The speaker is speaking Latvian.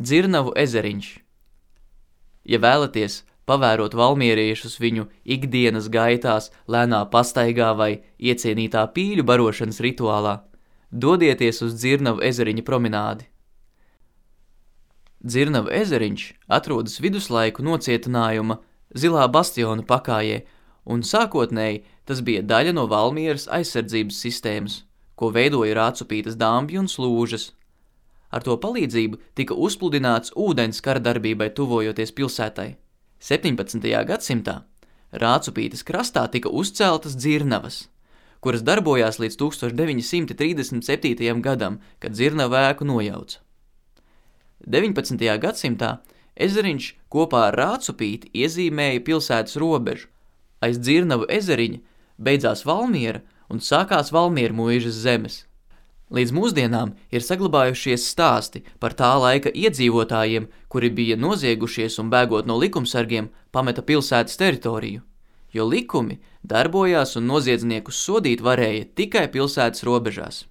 Dzirnavu ezeriņš. Ja vēlaties pavērot valmieriešus viņu ikdienas gaitās, lēnā pastaigā vai iecienītā pīļu barošanas rituālā, dodieties uz Dzirnavu ezeriņa promenādi. Dzirnavu ezeriņš atrodas viduslaiku nocietinājuma Zilā bastiona pakājē, un sākotnēji tas bija daļa no Valmieras aizsardzības sistēmas, ko veidoja Rācupītes dambji un slūžas. Ar to palīdzību tika uzpludināts ūdens kara darbībai tuvojoties pilsētai. 17. gadsimtā Rācupītes krastā tika uzceltas dzirnavas, kuras darbojās līdz 1937. gadam, kad dzirnavu ēku nojauca. 19. gadsimtā ezeriņš kopā ar Rācupīti iezīmēja pilsētas robežu. Aiz Dzirnavu ezeriņa beidzās Valmiera un sākās Valmiermuižas zemes. Līdz mūsdienām ir saglabājušies stāsti par tā laika iedzīvotājiem, kuri bija noziegušies un bēgot no likumsargiem pameta pilsētas teritoriju, jo likumi darbojās un noziedzniekus sodīt varēja tikai pilsētas robežās.